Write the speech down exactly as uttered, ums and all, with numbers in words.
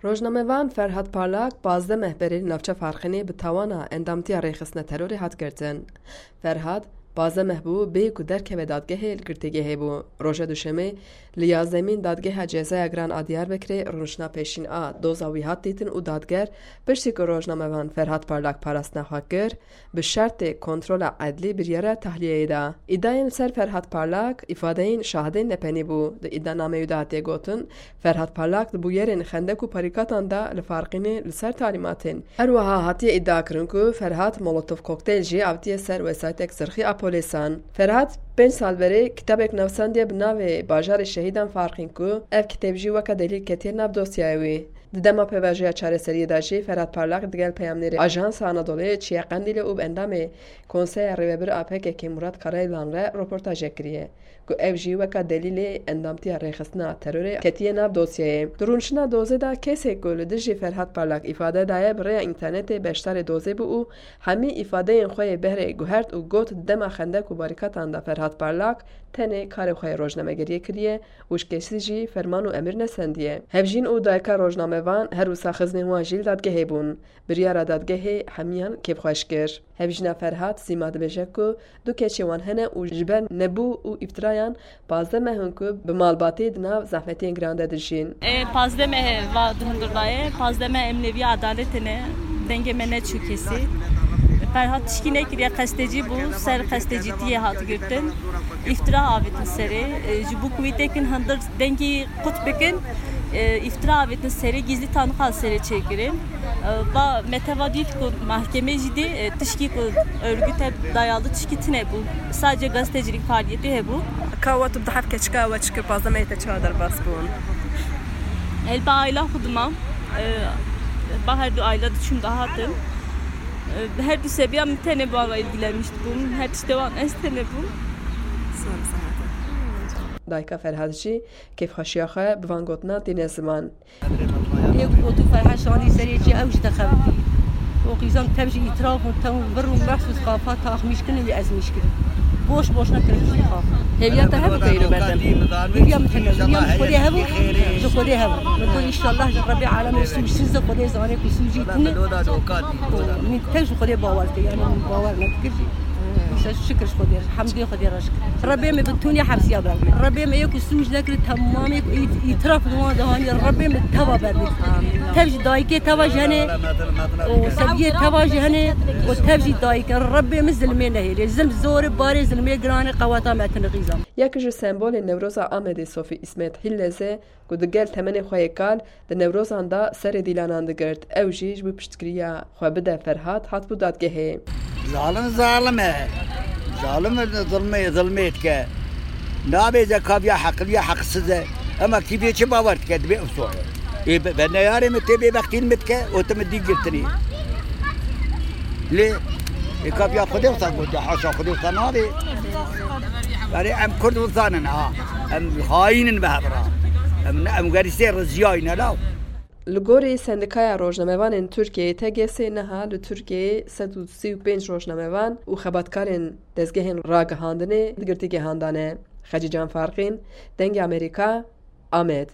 Rojnamevan Ferhat Parlak pazdeh meh berê li navça Farqînê bi tawana endamtiya rêxistina terorê hat girtin. Ferhat pazdeh meh bû bê ku derkeve dadgehê li girtîgehê bû. Roja Duşemê li yazdemîn Dadgeha Cezaya Giran a Diyarbekirê rûniştina pêşîn a doza wî hat dîtin û dadger piştî ku rojnamevan Ferhat Parlak parastina xwe kir, bi şertê kontrola edlî biryara tahliyeyê da. Îdayên li ser Ferhat Parlak îfadeyên şahidên nepenî bû. Di îdanameyê de hatiye gotin, Ferhat Parlak di bûyerên xendek û parîkatan de li Farqînê li ser talîmatên. Her wiha hatiye îdiakirin ku Ferhat molotof kokteyl jî avitiye ser wesaytek zirxî a polêsan. Ferhat pênc sal berê kitabek nivîsandiye bi navê Bajarê Şehîdan Farqîn ku ev kitêb jî weke delîl ketiye nav dosyaya wî. Di dema pêvajoya çareseriyê de jî Ferhat Parlak digel peyamnêrê Ajansa Anadoluyê çiye Qendîlê û bi endamê Konseya Rêvebir a P K K Murat Karayılan re roportajek kiriye, ku ew jî weka delîlê endamtiya rêxistina terorê ketiye nav dosyayê. Di rûniştina dozê de kesê ku li dijî Ferhat Parlak îfade daye bi rêya înternetê beşdarê dozê bû û hemî îfadeyên xwe yê behrê guhert û got, dema xendek û barîkatan de Ferhat Parlak tenê karê xwe yê rojnamegeriyê kiriye û ji kesî jî ferman û emir nesendiye. Hevjîn û dayika rojnamevan her wisa xizmên wan jî li dadgehê bûn. Biryara dadgehê hemiyan kêfxweş kir. Hevjîna Ferhat Sîma dibêje ku du keçê wan hene û ji ber nebû û îftirayan pazdeh meh in ku bi malbatê di nav zehmetiyên giran de dijîn. E, pazdeh meh va di hundir daye, pazdeh meh em nêviya edaletê ne, dengê me neçû kesî. Ferhat tişkî nekiriye, qestecî bû, ser qestecîtiyê hat girtin. Îftira avêtin serê, e, ji bo ku wî têkin hundir dengî qut bikin, e, îftira avêtin serê, gizlî tanîqa serê çêkirin. E, va me teva dît ku mahkemê jî dê, e, tişkî ku örgüte dayalı tişkî tine bû. Sadece gazetecilik faaliyeti hebû. Ka we tu bi dehf keçika we çi kir, pazdeh mehê te çawa derbas bûn? El ba aila xwe dimam. E, ba her du aila diçûm dihatim. E, her du seviya min tenê bi wan re ilgilenmiş dibûm. Her tiştê wan ez tenê bûm. Sor zehmet. Dayika Ferhat jî kêfxweşiya xwe bi van gotinan tîne ziman. Yek gotu Ferhat şandî serê çi ew jî dixebitî. O qîzan tev ji îtiraf û tev vir û mehsûs xafa taxmîş kirin lê ez mîş kirim. Boş boş nekirim ji xaf. Hêviya te hebû peyro berdem. Hêviya min tune. Hêviya min ji Xwedê hebû. Ji Xwedê hebû. Min got înşallah ji Rebê alemê sûcsiz e, Xwedê zane ku sûcî tune. Min tev ji Xwedê bawer dike. Yani min bawer nedikir jî. Şe-, şikir ji Xwedê, hemdê Xwedê re şikir. Rebê min bi tunî hepsiya bermê. Rebê min yek û sûc nekir, temamê ku ît-, îtiraf li wan de hanî, Rebê min teva bermê. Tev ji dayikê teva ji henê, û seviyê teva ji henê, û tev ji dayikê. Rebê min zilmê nehêlê. Zilm zor e, barê zilmê giran e, qeweta me tine qîzan. Yek ji sembolên Newroza Amedê Sofî Îsmet Hilleze, ku digel temenê xwe yê kal di Newrozan de serê dîlanan digirt. Ew jî ji bo piştgiriya xwe bide Ferhat hatibû dadgehê. Zalim zalim e. Zalim e, zilmê, zilmê dike. Nabêje kaviya heqiliya heqsiz e. Ema kîvê çi bawer dike, dibê ew soye. Ê be-, be neyarê min tê bêbextîn min dike, û tu min dî girtinî. Lê ê kaviya Xwedê wisa gotiye, haşa Xwedê wisa nabê. Erê, em Kurd wisa nin ha. Em xayîn in bi hev re. Em ne, em gerîsê riziyayî ne law. Li gorî Sendikaya Rojnamevanên Tirkiyeyê, T G S, niha li Tirkiyeyê sed û sî û pênc rojnamevan û xebatkarên dezgehên ragihandinê di girtîgehan de ne. Xecîcan Farqîn, Dengê Amerîka, Amed.